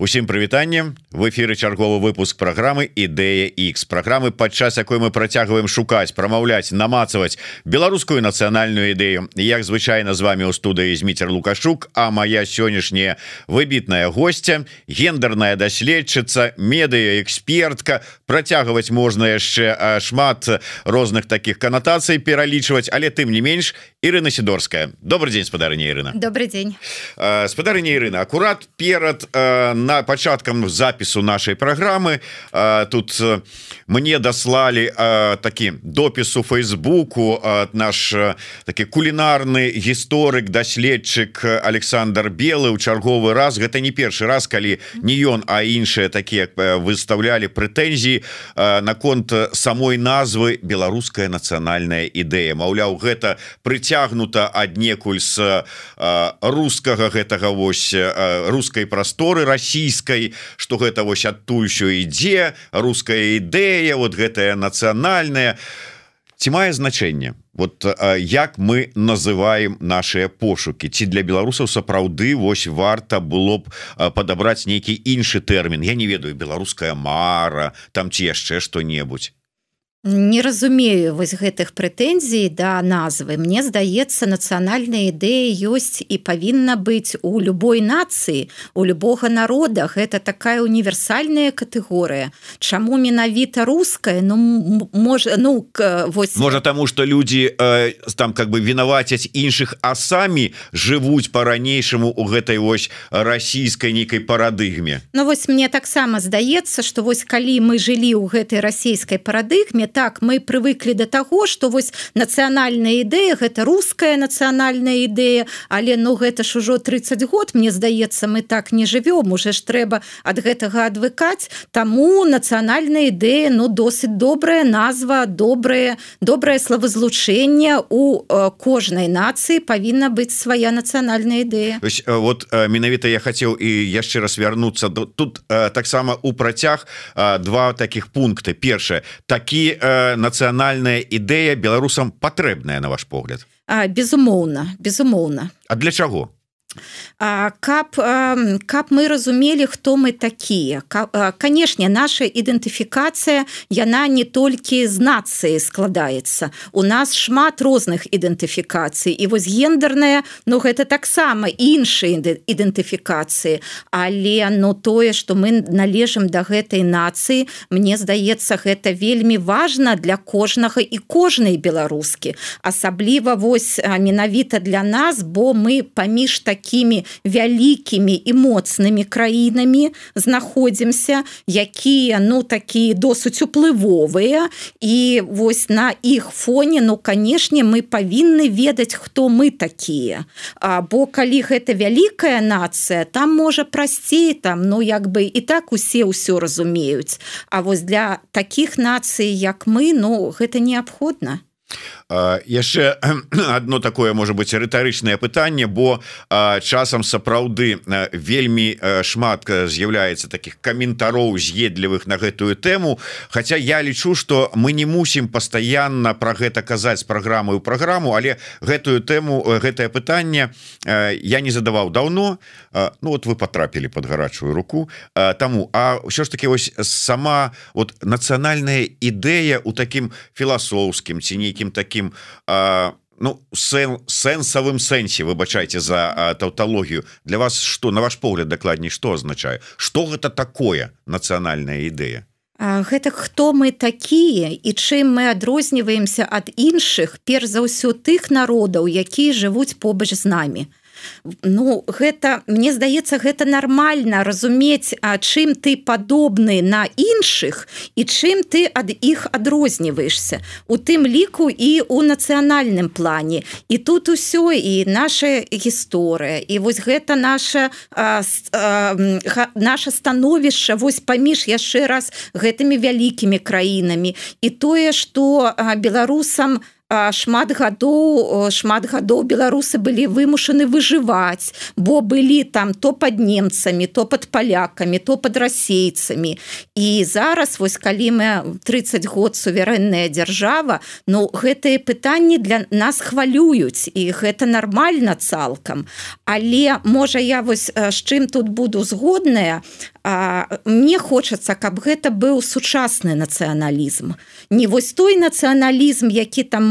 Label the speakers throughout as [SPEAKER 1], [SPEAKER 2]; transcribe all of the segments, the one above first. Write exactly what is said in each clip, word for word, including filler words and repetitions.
[SPEAKER 1] Усім прывітанне, в эфіры чарговы выпуск праграмы Ідэя X, праграмы, падчас якой мы працягваем шукаць, прамаўляць, намацаваць беларускую нацыянальную ідэю. Як звычайна з вами ў студыі Зміцер Лукашук, а моя сённяшняя выбітная гостця, гендерная даследчыца, медыа-экспертка. Працягваць можна яшчэ шмат розных таких канатацый пералічваць, але тым не менш, Ірына Сідорская. Добрый дзень, спадарыня Ірына.
[SPEAKER 2] Добрый дзень.
[SPEAKER 1] Спадарыня Ірына, акурат перад на пачаткам запісу нашай праграмы тут мне даслалі такі допіс у Фейсбуку наш такі кулінарны гісторык, даследчык Александр Белы ў чарговы раз. Гэта не першы раз, калі не ён, а іншыя такія выставлялі прэтэнзіі наконт самой назвы беларуская нацыянальная ідэя. Маўляў, гэта прыцягнута аднекуль з рускага гэтага вось рускай прасторы расійскай, что гэта вось адтуль що ідзе руская ідэя, вот гэтая нацыянальная. Ці мае значэнне вот як мы называем нашыя пошукі? Ці для беларусаў сапраўды вось варта было б падабраць нейкі іншы тэрмін? Я не ведаю, беларуская мара там ці яшчэ што-небудзь.
[SPEAKER 2] Не разумею вось гэтых прэтэнзій да назвы. Мне здаецца, нацыянальная ідэя ёсць і павінна быць у любой нацыі, у любога народа. Гэта такая універсальная катэгорыя. Чаму менавіта руская? Ну, можа, ну, вось...
[SPEAKER 1] Можа, таму, што людзі э, там как бы вінавацяць іншых, а самі жывуць па-ранейшаму у гэтай вось расійскай нейкай парадыгме.
[SPEAKER 2] Ну, вось мне таксама здаецца, што вось калі мы жылі ў гэтай расійскай парадыгме, так, мы прывыклі да таго, што вось нацыянальная ідэя, гэта руская нацыянальная ідэя, але ну гэта ж ужо трыццаць год, мне здаецца, мы так не жывём, уже ж трэба ад гэтага адвыкаць, таму нацыянальная ідэя, ну досыць добрая назва, добрае, добрае словазлучэнне, у э, кожнай нацыі павінна быць свая нацыянальная ідэя.
[SPEAKER 1] Вось, вот менавіта я хацеў і яшчэ раз вярнуцца, тут э, таксама у працяг э, два таких пункты. Першае, такі нацыянальная ідэя беларусам патрэбная, на ваш погляд?
[SPEAKER 2] А, безумоўна, безумоўна.
[SPEAKER 1] А для чаго?
[SPEAKER 2] А, каб, а, каб мы разумелі, хто мы такія. Канешне, наша ідэнтыфікацыя, яна не толькі з нацыі складаецца. У нас шмат розных ідэнтыфікацый. І вось гендерная, ну гэта таксама іншыя ідэнтыфікацыі. Але ну, тое, што мы належым да гэтай нацыі, мне здаецца, гэта вельмі важна для кожнага і кожнай беларускі. Асабліва вось менавіта для нас, бо мы паміж такімі такімі вялікімі і моцнымі краінамі знаходзімся, якія, ну, такія досыць уплывовыя, і вось на іх фоне, ну, канешне, мы павінны ведаць, хто мы такія. А, бо калі гэта вялікая нацыя, там можа прасцей, там, ну, як бы і так усе ўсё разумеюць. А вось для такіх нацый, як мы, ну, гэта неабходна.
[SPEAKER 1] Яшчэ одно такое, можа быть, рытарычнае пытанне, бо часам сапраўды вельмі шмат з'яўляецца таких каментароў з'едлівых на гэтую тэму, хаця я лічу, што мы не мусім пастаянна пра гэта казаць з праграмы ў праграму, але гэтую тэму, гэтае пытанне я не задаваў даўно. Ну вот вы потрапілі под гарачую руку, таму, а ўсё ж таки вось сама вот нацыянальная ідэя у такім філасофскім ці нейкім такім А, ну, сен, сэнсавым сэнсе, выбачайце за а, таўталогію. Для вас што, на ваш погляд, дакладней, што азначае? Што гэта такое нацыянальная ідэя?
[SPEAKER 2] А, гэта хто мы такія і чым мы адрозніваемся ад іншых, перш за ўсё тых народаў, якія жывуць побач з намі. Ну, гэта, мне здаецца, гэта нармальна разумець, а чым ты падобны на іншых і чым ты ад іх адрозніваешся. У тым ліку і ў нацыянальным плане. І тут усё, і наша гісторыя, і вось гэта наша, а, а, наша становішча вось паміж яшчэ раз гэтымі вялікімі краінамі. І тое, што а, беларусам шмат гадоў шмат гадоў беларусы былі вымушаны выжываць, бо былі там то пад немцамі, то пад палякамі, то пад расейцамі. І зараз вось калі мы трыццаць год суверэнная дзяржава, ну гэтыя пытанні для нас хвалююць, і гэта нармальна цалкам. Але можа я вось з чым тут буду згодная, мне хочацца, каб гэта быў сучасны нацыяналізм. Не вось той нацыяналізм, які там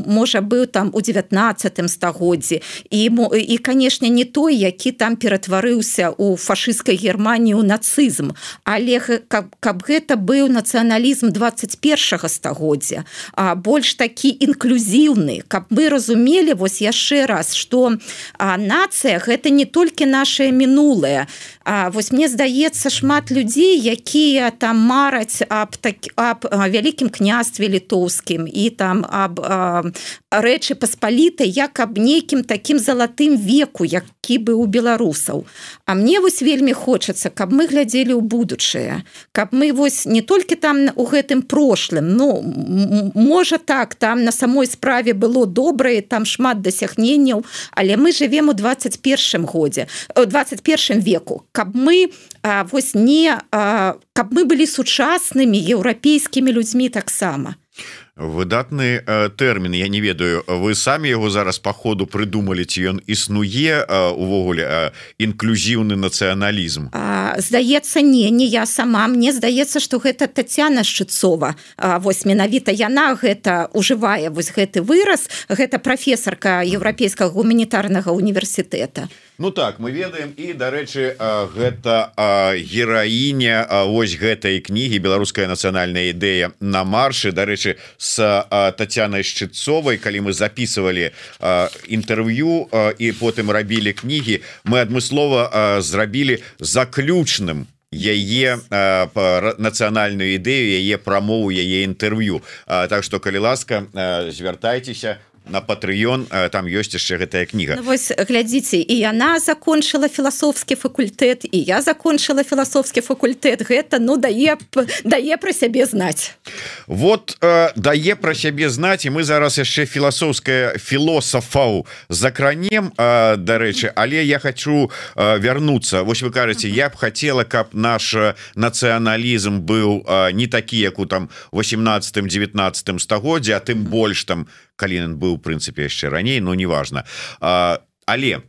[SPEAKER 2] можа быў там у дзевятнаццатым стагоддзі, і, і канешне, не той, які там ператварыўся у фашысцкай Германіі ў нацызм, але каб, каб гэта быў нацыяналізм дваццаць першага стагоддзя, а больш такі інклюзіўны, каб мы разумелі вось яшчэ раз, што а, нацыя гэта не толькі нашае мінулае. А, вось мне здаецца, шмат людзей, якія там мараць аб, так, аб вялікім княстве літоўскім і там аб а, рэчы паспалітай, як аб нейкім такім залатым веку, які быў у беларусаў. А мне вось вельмі хочацца, каб мы глядзелі ў будучае, каб мы вось не толькі там у гэтым прошлым, ну, можа так, там на самой справе было добрае, там шмат дасягненняў, але мы жывем у дваццаць першым годзе, у дваццаць першым веку, каб мы а, вось не, а, каб мы былі сучаснымі еўрапейскімі людзьмі таксама.
[SPEAKER 1] Выдатны э, тэрмін, я не ведаю, вы самі яго зараз па ходу прыдумалі, ці ён існуе э, увогуле э, інклюзіўны нацыяналізм?
[SPEAKER 2] А, здаецца, не, не я сама. Мне здаецца, што гэта Тацяна Шчыцова. А, вось менавіта яна гэта ўжывае, вось гэты выраз, гэта прафесарка Еўрапейскага гуманітарнага універсітэта.
[SPEAKER 1] Ну так, мы ведаем, і, дарэчы, гэта гераіня вось гэтай кнігі «Беларуская нацыянальная ідэя на маршы». Дарэчы, с Тацянай Шчыцовай, калі мы записывалі інтэрв'ю і потым рабілі кнігі, мы адмыслова зрабілі заключным яе нацыянальную ідэю, яе прамову, яе інтэрв'ю. Так што, калі ласка, звяртайцеся на Patreon, там ёсць яшчэ гэтая кніга.
[SPEAKER 2] Ну, вось глядзіце, і яна закончыла філасофскі факультэт, і я закончыла філасофскі факультэт. Гэта, ну, дае, дае пра сябе знаць.
[SPEAKER 1] Вот, э, дае пра сябе знаць, і мы зараз яшчэ філасофская філосафаў закранем, э, дарэчы, але я хочу э, вярнуцца. Вось вы кажаце, я б хацела, каб наш нацыяналізм быў э, не такі, як у там восемнадцатым-дзевятнаццатым стагоддзе, а тым больш там, калі ён быў, у прынцыпе, яшчэ раней, но неважна. А, але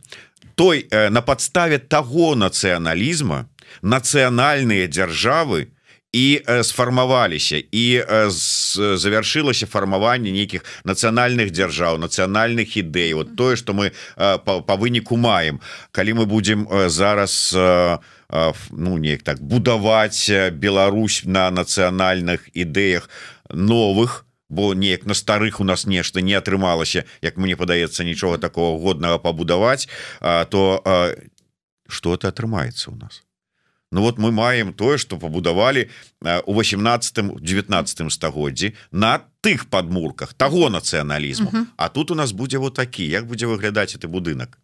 [SPEAKER 1] той на падставе таго нацыяналізма нацыянальныя дзяржавы і сфармаваліся, і завяршылася фармаванне нейкіх нацыянальных дзяржаў, нацыянальных ідэй. Вот тое, што мы па, па выніку маем. Калі мы будзем зараз ну, неяк так будаваць Беларусь на нацыянальных ідэях новых, бо неяк на старых у нас нешта не атрымалася, як мне падаецца, нічога такого годнага пабудаваць, то што-то атрымаецца ў нас. Ну вот мы маем тое, што пабудавалі у восемнадцатым-дзевятнаццатым стагоддзі на тых падмурках таго нацыяналізму. Uh-huh. А тут у нас будзе вот такі, як будзе выглядаць гэты будынак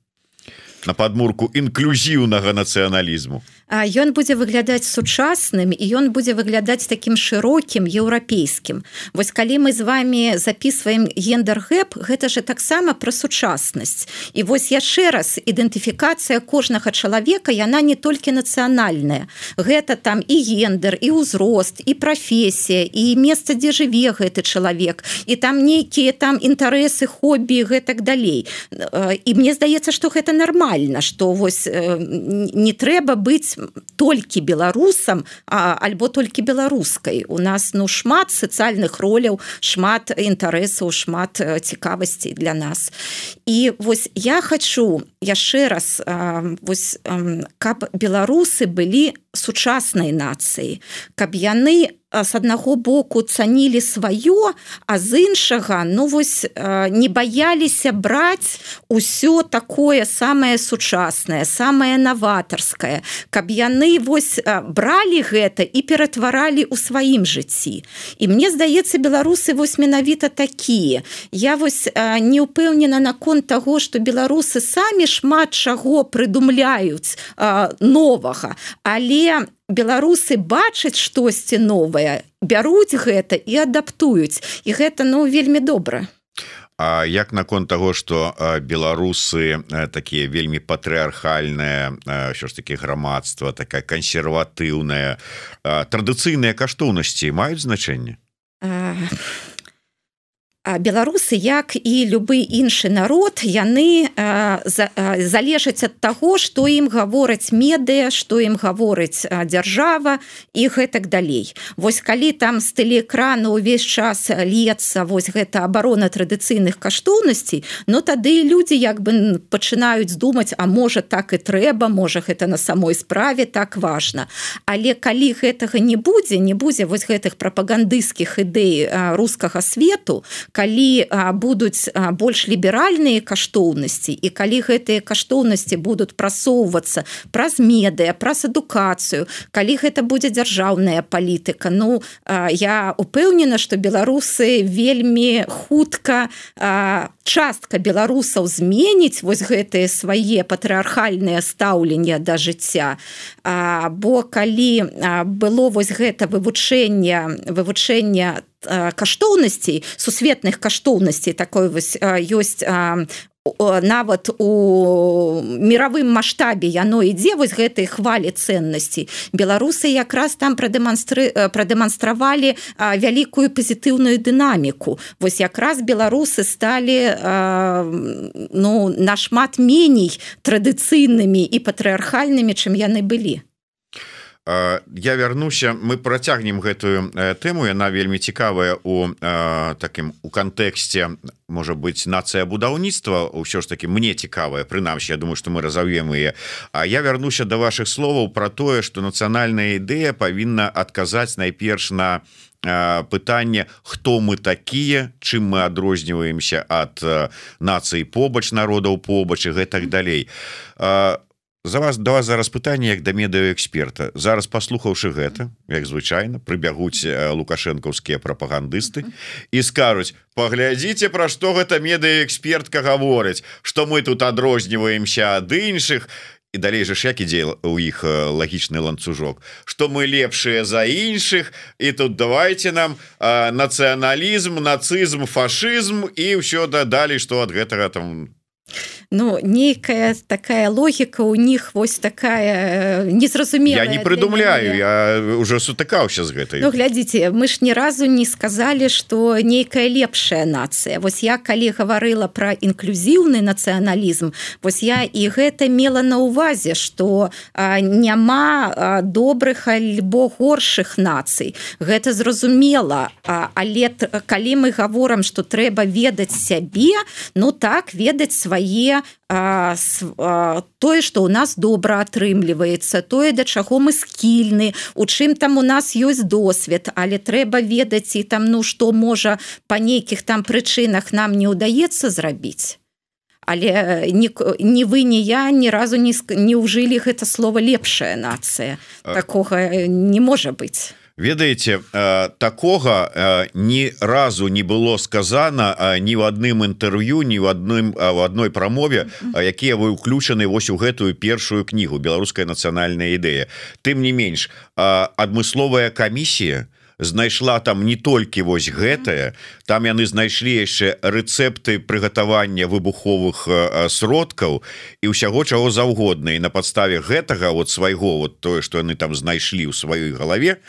[SPEAKER 1] на падмурку інклюзіўнага нацыяналізму.
[SPEAKER 2] Ён будзе выглядаць сучасным, і ён будзе выглядаць такім шырокім, еўрапейскім. Вось калі мы з вами записываем гендер-гэп, гэта же таксама пра сучаснасць. І вось яшчэ раз, ідэнтыфікацыя кожнага чалавека, яна не толькі нацыянальная. Гэта там і гендер, і ўзрост, і прафесія, і месца, дзе жыве гэты чалавек, і там нейкія там інтарэсы, хобі, гэтак далей. І мне здаецца, што гэта нармальна, што вось не трэба быць толькі беларусам, а, альбо толькі беларускай. У нас ну шмат сацыяльных роляў, шмат інтарэсаў, шмат цікавасцей для нас. І вось я хачу яшчэ раз, а, вось, а, каб беларусы былі сучаснай нацыяй, каб яны з аднаго боку цанілі сваё, а з іншага, ну вось не баяліся браць усё такое самае сучаснае, самае наватарскае, каб яны вось бралі гэта і ператваралі ў сваім жыцці. І мне здаецца, беларусы вось менавіта такія. Я вось не ўпэўнена наконт таго, што беларусы самі шмат чаго прыдумляюць новага, але беларусы бачаць штосьці новае, бяруць гэта і адаптуюць. І гэта, ну, вельмі добра.
[SPEAKER 1] А як наконт того, что беларусы такие вельмі патрыархальныя, що ж таки грамадства, такая кансерватыўная, традыцыйныя каштоўнасці маюць значэнне?
[SPEAKER 2] Беларусы, як і любы іншы народ, яны залежаць ад таго, што ім гавораць медыя, што ім гаворыць дзяржава і гэтак далей. Вось калі там з тэлеэкрана ўвесь час льецца вось гэта абарона традыцыйных каштоўнасцей, ну тады людзі як бы пачынаюць думаць, а можа так і трэба, можа гэта на самой справе так важна. Але калі гэтага не будзе, не будзе вось гэтых прапагандысцкіх ідэй рускага свету, калі будуць больш ліберальныя каштоўнасці і калі гэтыя каштоўнасці будуць прасоўвацца праз медыя, праз адукацыю, калі гэта будзе дзяржаўная палітыка, ну я упэўнена, што беларусы вельмі хутка, частка беларусаў зменіць вось гэтыя свае патрыархальныя стаўленне да жыцця, бо калі было вось гэта вывучэнне вывучэнне каштоўнасцей, сусветных каштоўнасцей, такой вось ёсць нават у мировым маштабе яно ідзе вось гэтай хвалі ценнасцей. Беларусы якраз там прадэманстры... прадэманстравалі вялікую пазітыўную дынаміку. Вось якраз беларусы сталі ну, нашмат меней традыцыйнымі і патрыархальнымі, чым яны былі.
[SPEAKER 1] Я вярнуся, мы працягнем гэтую тэму, яна вельмі цікавая у такім у кантэксце, можа быць, нацыя будаўніцтва, ўсё ж таки мне цікавая, прынамсі, я думаю, што мы разаўем яе. А я вярнуся да вашых словаў пра тое, што нацыянальная ідэя павінна адказаць найперш на пытанне, хто мы такія, чым мы адрозніваемся ад нацыі побач, народаў побач і гэтак далей. За вас да вас зараз пытанне як да медыаэксперта. Зараз паслухаўшы гэта, як звычайна, прыбягуць лукашэнкаўскія прапагандысты і скажуць: паглядзіце, пра што гэта медыаэкспертка гаворыць, што мы тут адрозніваемся ад іншых. І далей жа ж як ідзе у іх лагічны ланцужок, што мы лепшыя за іншых, і тут давайте нам а, нацыяналізм, нацызм, фашызм і ўсё дадалі, што ад гэтага там...
[SPEAKER 2] Ну, нейкая такая логіка у них вось такая незразумелая.
[SPEAKER 1] Я не придумляю, я уже сутыкаўся з гэтай.
[SPEAKER 2] Ну, глядзіце, мы ж ні разу не сказали, што нейкая лепшая нацыя. Вось я, калі гаварыла пра інклюзіўны нацыяналізм, вось я і гэта мела на ўвазе, што а, няма а, добрых альбо горшых нацый. Гэта зразумела, а, але калі мы гаворам, што трэба ведаць сябе, ну так, ведаць свае А, а, тое, што ў нас добра атрымліваецца, тое, да чаго мы скільны, у чым там у нас ёсць досвед, але трэба ведаць і там, ну, што можа па нейкіх там прычынах нам не ўдаецца зрабіць. Але ні, ні вы, ні я ні разу не, не ўжылі гэта слова лепшая нацыя. Такога не можа быць.
[SPEAKER 1] Ведаеце, такога ні разу не было сказана ні в адным інтэрв'ю, ні в адным в адной прамове, якія вы ўключаны вось у гэтую першую кнігу «Беларуская нацыянальная ідэя». Тым не менш, адмысловая камісія знайшла там не толькі вось гэтае, там яны знайшлі яшчэ рэцэпты прыгатавання выбуховых сродкаў і ўсяго чаго заўгодна. І на падставе гэтага вот свайго, вот тое, што яны там знайшлі ў сваёй галаве,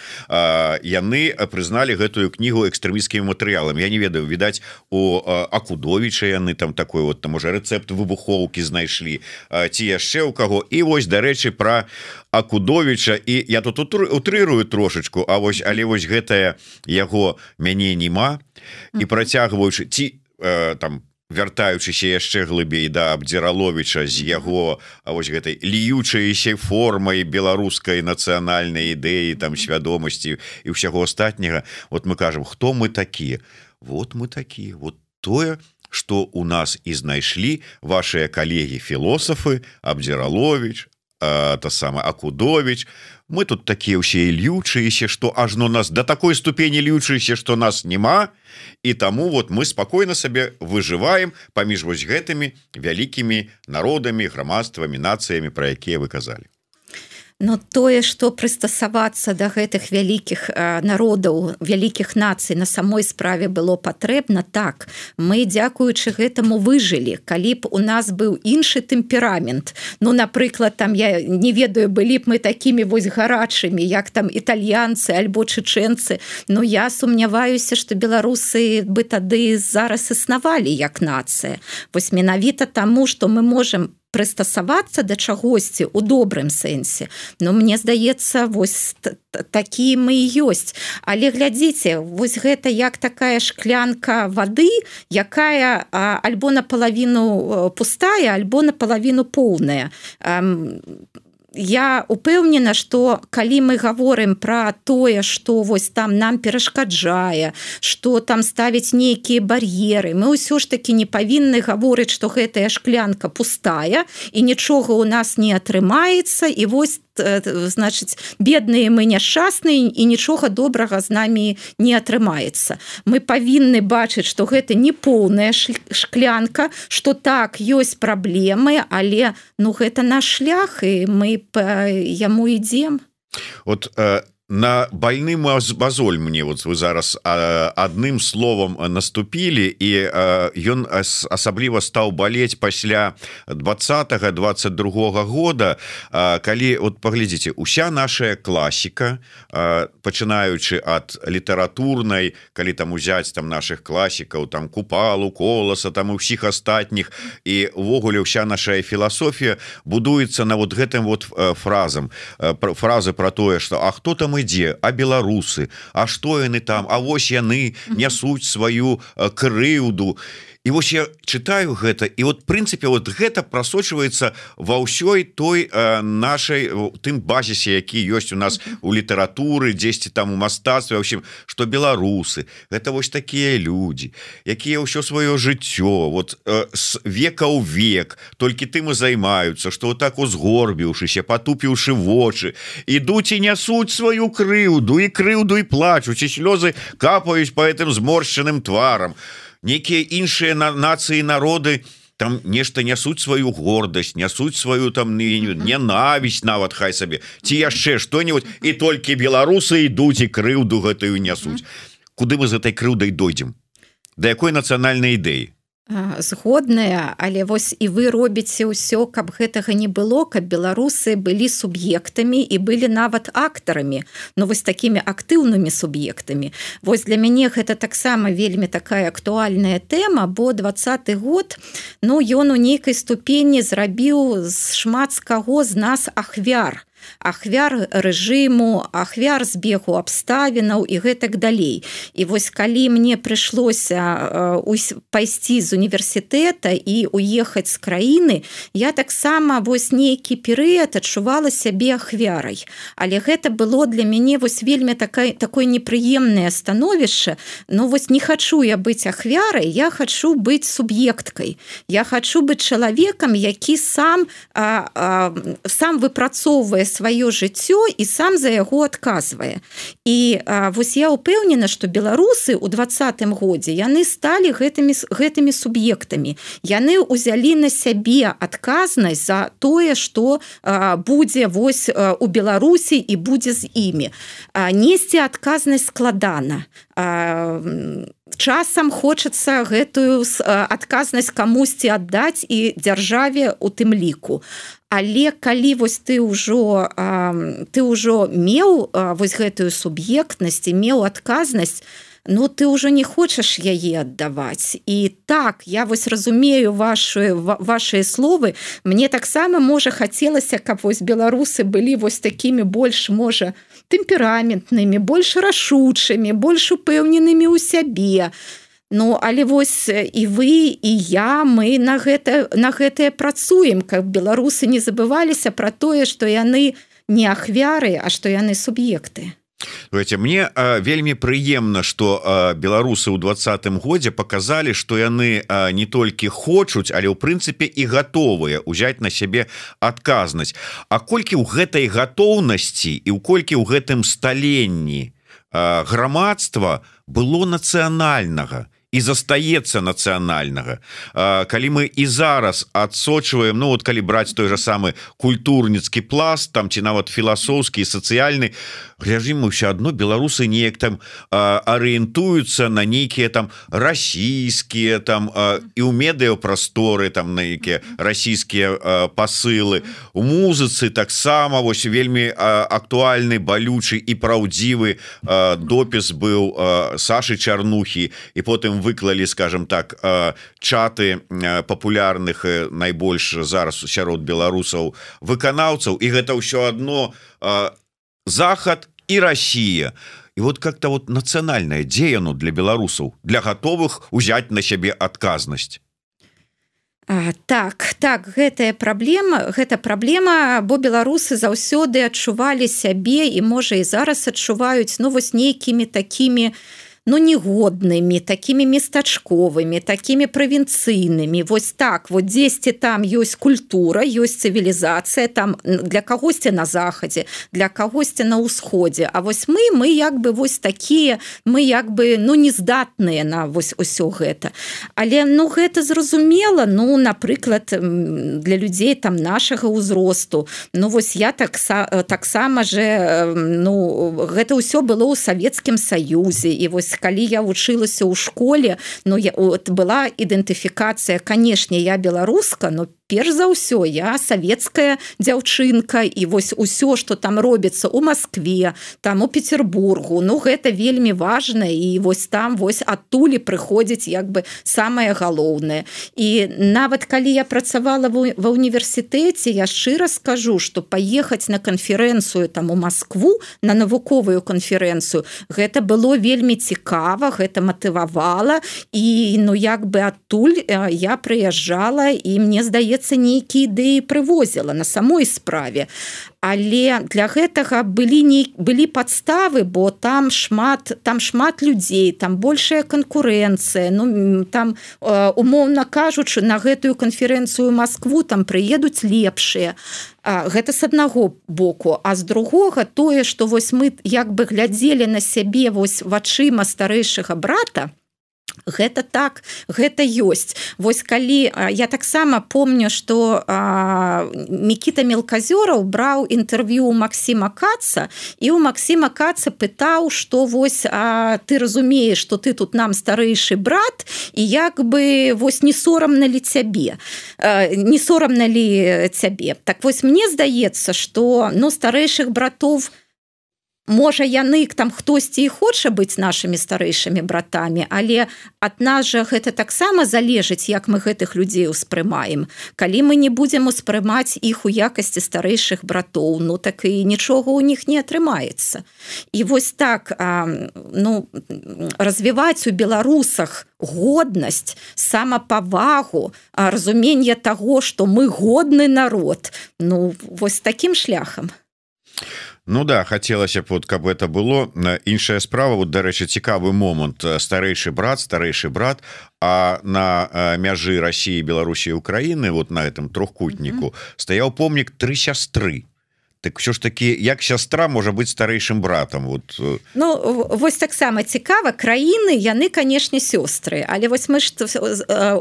[SPEAKER 1] яны прызналі гэтую кнігу экстрэмісцкімі матэрыяламі. Я не ведаю, відаць, у Акудовіча яны там такой вот, там уже рэцэпт выбухоўкі знайшлі, ці яшчэ ў каго. І вось, дарэчы, пра Акудовіча, і я тут утрырую трошечку, а вось, але вось гэтае яго мяне нема, і працягваючы ці э, там вяртаючыся яшчэ глыбей да Абдзіраловіча з яго вось гэтай льючаючай формай беларускай нацыянальнай ідэі, там свядомасці і ўсяго астатняга. Вот мы кажам, хто мы такія? Вот мы такія, вот тое, што у нас і знайшлі вашыя калегі-філосафы Абдзіраловіч, а, та сама Акудовіч. Мы тут такія ўсе льючаеся, што ажно нас да такой ступені льючаеся, што нас няма, і таму вот мы спакойна сабе выжываем паміж вось гэтымі вялікімі народамі, грамадствамі, нацыямі, пра якія вы казалі.
[SPEAKER 2] Но тое, што прыстасавацца да гэтых вялікіх народаў, вялікіх нацый на самой справе было патрэбна, так. Мы, дзякуючы гэтаму, выжылі. Калі б у нас быў іншы тэмперамент, ну, напрыклад, там, я не ведаю, былі б мы такімі вось гарачымі, як там італьянцы альбо чэчэнцы, но я сумняваюся, што беларусы бы тады зараз існавалі як нацыя. Вось менавіта таму, што мы можам прыстасавацца да чагосьці ў добрым сэнсе. Но мне здаецца, вось такія мы і ёсць. Але глядзіце, вось гэта як такая шклянка вады, якая альбо напалавіну пустая, альбо напалавіну поўная. Я упэўнена, што калі мы гаворым пра тое, што вось там нам перашкаджае, што там ставіць нейкія бар'еры, мы ўсё ж такі не павінны гаворыць, што гэтая шклянка пустая і нічога ў нас не атрымаецца, і вось значыць, бедныя мы няшчасныя і нічога добрага з намі не атрымаецца. Мы павінны бачыць, што гэта не поўная шклянка, што так, ёсць праблемы, але ну, гэта наш шлях, і мы па яму ідзем.
[SPEAKER 1] От э... на больны мазоль мне вот вы зараз адным словом наступілі, і ён асабліва стаў балець пасля двадцатага двадцать другога года, калі вот паглядзіце, уся наша класіка, пачынаючы ад літаратурнай, калі там узяць там наших класікаў, там Купалу, Коласа, там і ўсіх астатніх, і увогуле ўся наша філасофія будуецца на вот гэтым вот фразам, фразы про тое, что а хто там ідзе, а беларусы, а што яны там, а вось яны нясуць сваю крыўду. І вось я читаю гэта, і вот прынцыпе вот гэта прасочваецца ва ўсёй той э, нашай тым базісе, які ёсць у нас у літаратуры, дзесьці там у мастацтве, в общем, што беларусы гэта вось такія людзі, якія ўсё сваё жыццё вот э, с века ў век толькі тым і займаюцца, што вот так узгорбіўшыся, патупіўшы вочы, ідуць і нясуць сваю крыўду, і крыўду і плачуць, і слёзы капаюць па гэтым зморшчаным тварам. Некія іншыя нацыі, народы там нешта нясуць сваю гордасць, нясуць сваю там ненавісць нават хай сабе, ці яшчэ што-нибудь, і толькі беларусы ідуць і крыўду гэтую нясуць. Куды мы з гэтай крыўдай дойдзем? Да якой нацыянальнай ідэі?
[SPEAKER 2] Згодная, але вось і вы робіце ўсё, каб гэтага не было, каб беларусы былі суб'ектамі і былі нават актарамі, но вось такімі актыўнымі суб'ектамі. Вось для мяне гэта таксама вельмі такая актуальная тэма, бо двадцаты год, ну, ён у нейкай ступені зрабіў шмат з каго з нас ахвяр. Ахвяр рэжыму, ахвяр збегу абставінаў і гэтак далей. І вось калі мне прыйшлося пайсці з універсітэта і уехаць з краіны, я таксама вось нейкі перыяд адчувала сябе ахвярай. Але гэта было для мяне вось вельмі такое, такое непрыемнае становішча. Ну вось не хачу я быць ахвярай, я хачу быць суб'екткай. Я хачу быць чалавекам, які сам, а, а, сам выпрацоўвае сваё жыццё і сам за яго адказвае. І а, вось я ўпэўнена, што беларусы ў двадцатым годзе яны сталі гэтымі, гэтымі суб'ектамі. Яны ўзялі на сябе адказнасць за тое, што а, будзе вось а, у Беларусі і будзе з імі. А, несці адказнасць складана. А, часам хочацца гэтую адказнасць камусьці аддаць і дзяржаве у тым ліку. Але калі вось ты ўжо ты ўжо меў вось гэтую суб'ектнасць і меў адказнасць, ну ты ўжо не хочаш яе аддаваць. І так, я вось разумею ваши, вашыя словы. Мне таксама, можа, хацелася, каб вось беларусы былі вось такімі больш, можа, тэмпераментнымі, больш рашучымі, больш упэўненымі ў сябе. Ну, але вось і вы, і я, мы на гэта, на гэтае працуем, каб беларусы не забываліся пра тое, што яны не ахвяры, а што яны суб'екты.
[SPEAKER 1] Знаете, мне а, вельмі прыемна, што а, беларусы ў двадцатым годзе паказалі, што яны а, не толькі хочуць, але ў прынцыпе і гатовыя ўзяць на сябе адказнасць. А колькі ў гэтай гатоўнасці і ў колькі ў гэтым сталенні а, грамадства было нацыянальнага і застаецца нацыянальнага. Калі мы і зараз адсочваем, ну вот калі браць той же самы культурніцкі пласт там ці нават філасофскі і сацыяльны, глядзім, мы ўсё адно беларусы неяк там арыентуюцца на нейкія там расійскія там і ў медыяпрасторы там на якія расійскія пасылы, у музыцы таксама вось вельмі актуальны, балючы і праўдзівы допіс быў Сашы Чарнухі, і потым выклалі, скажем так, чаты папулярных найбольш зараз сярод беларусаў выканаўцаў, і гэта ўсё адно Захад і Россия. И вот как-то вот национальное, дзе яно для беларусаў, для готовых узять на сябе адказнасць?
[SPEAKER 2] А, так, так, гэтая праблема, гэта праблема, бо беларусы заўсёды адчувалі сябе і, можа, і зараз адчуваюць, ну, вось нейкімі такімі, ну, негоднымі, такімі местачковымі, такімі правінцыйнымі. Вось так, вот дзесьці там ёсць культура, ёсць цывілізацыя, там для кагосьці на захадзе, для кагосьці на ўсходзе. А вось мы, мы як бы вось такія, мы як бы, ну, нездатныя на вось усё гэта. Але, ну, гэта зразумела, ну, напрыклад, для людзей там нашага ўзросту. Ну, вось я таксама так же, ну, гэта ўсё было ў Савецкім Саюзе, і вось калі я вучылася ў школе, ну, я, от, была ідэнтыфікацыя, канешне, я беларуска, но перш за ўсё я савецкая дзяўчынка, і вось усё, што там робіцца ў Маскве, там у Петербургу, ну, гэта вельмі важна, і вось там вось адтуль прыходзіць як бы самае галоўнае. І нават калі я працавала ва універсітэце, я шчыра скажу, што паехаць на канферэнцыю там у Маскву, на навуковую канферэнцыю, гэта было вельмі цікава, гэта матывавала, і, ну, як бы адтуль я прыязджала, і мне здаецца, нейкія ідэі прывозіла на самой справе. Але для гэтага былі, не, былі падставы, бо там шмат, там шмат людзей, там большая канкурэнцыя, ну, там, умоўна кажучы, на гэтую канферэнцыю Маскву там прыедуць лепшыя. Гэта з аднаго боку, а з другога тое, што вось мы як бы глядзелі на сябе вось вачыма старэйшага брата, гэта так, гэта ёсць. Вось калі, я таксама помню, што Мікіта Мелказёраў браў інтэрв'ю ў Максіма Каца, і ў Максіма Каца пытаў, што вось а, ты разумееш, што ты тут нам старэйшы брат, і як бы вось не сорамна ли цябе, не сорамна ли цябе. Так вось мне здаецца, што, ну, старэйшых братоў, можа, яны там хтосьці і хоча быць нашымі старэйшымі братамі, але ад нас жа гэта таксама залежыць, як мы гэтых людзей успрымаем. Калі мы не будзем успрымаць іх у якасці старэйшых братоў, ну, так і нічога ў них не атрымаецца. І вось так, ну, развіваць у беларусах годнасць, самапавагу, разуменне таго, што мы годны народ, ну, вось такім шляхам.
[SPEAKER 1] Ну да, хацелася б, вот, каб это было. Іншая справа, вот, дарэчы, цікавы момант. Старэйшы брат, старэйшы брат, а на мяжы России, Беларусі і Украіны, вот на этом трохкутніку, mm-hmm. стаяў помнік «Тры сястры». Так що ж такі, як сястра можа быць старэйшым братам? Вот.
[SPEAKER 2] Ну, вось таксама цікава, краіны, яны, канешне, сёстры, але вось мы ж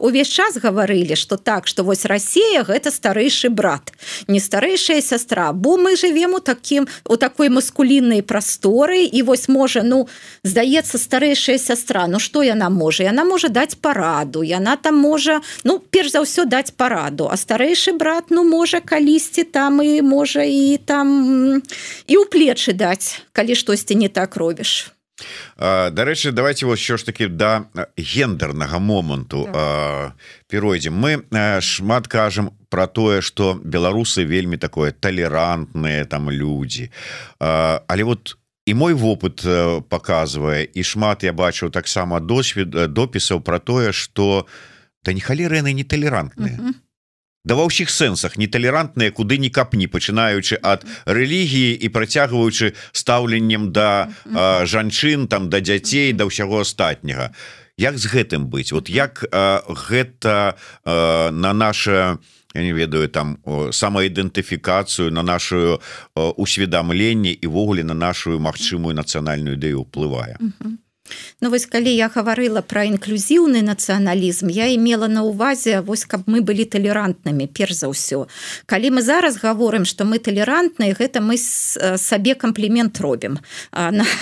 [SPEAKER 2] увесь час гаварылі, што так, што вось Расія – гэта старэйшы брат, не старэйшая сястра, бо мы жывем у такім, у такой маскуліннай прасторы, і вось можа, ну, здаецца, старэйшая сястра, ну, што яна можа? Яна можа даць параду, яна там можа, ну, перш за ўсё даць параду, а старэйшы брат, ну, можа, калісьці там і можа і там і ў плечы даць, калі штосьці не так робіш.
[SPEAKER 1] Дарэчы, давайте вот що ж таки да гендернага моманту да. перайдзем. Мы шмат кажам про тое, што беларусы вельмі такое талерантныя там людзі. Але вот і мой вопыт показывае, і шмат я бачыў таксама досвед допісаў про тое, што да не халеры яны не талерантныя. Uh-huh. Да ва ўсіх сэнсах неталерантныя, куды ні капні, пачынаючы ад рэлігіі і працягваючы стаўленнем да а, жанчын, там, да дзяцей, да ўсяго астатняга. Як з гэтым быць? Вот як а, гэта а, на наше, я не ведаю, там, самаідэнтыфікацыю, на нашу усведамленне і ввогуле на нашу магчымую нацыянальную ідэю ўплывае?
[SPEAKER 2] Ну вось калі я гаварыла пра інклюзіўны нацыяналізм, я имела на ўвазе вось каб мы былі талерантнымі перш за ўсё. Калі мы зараз гаворым, што мы талерантныя, гэта мы сабе камплімент робім.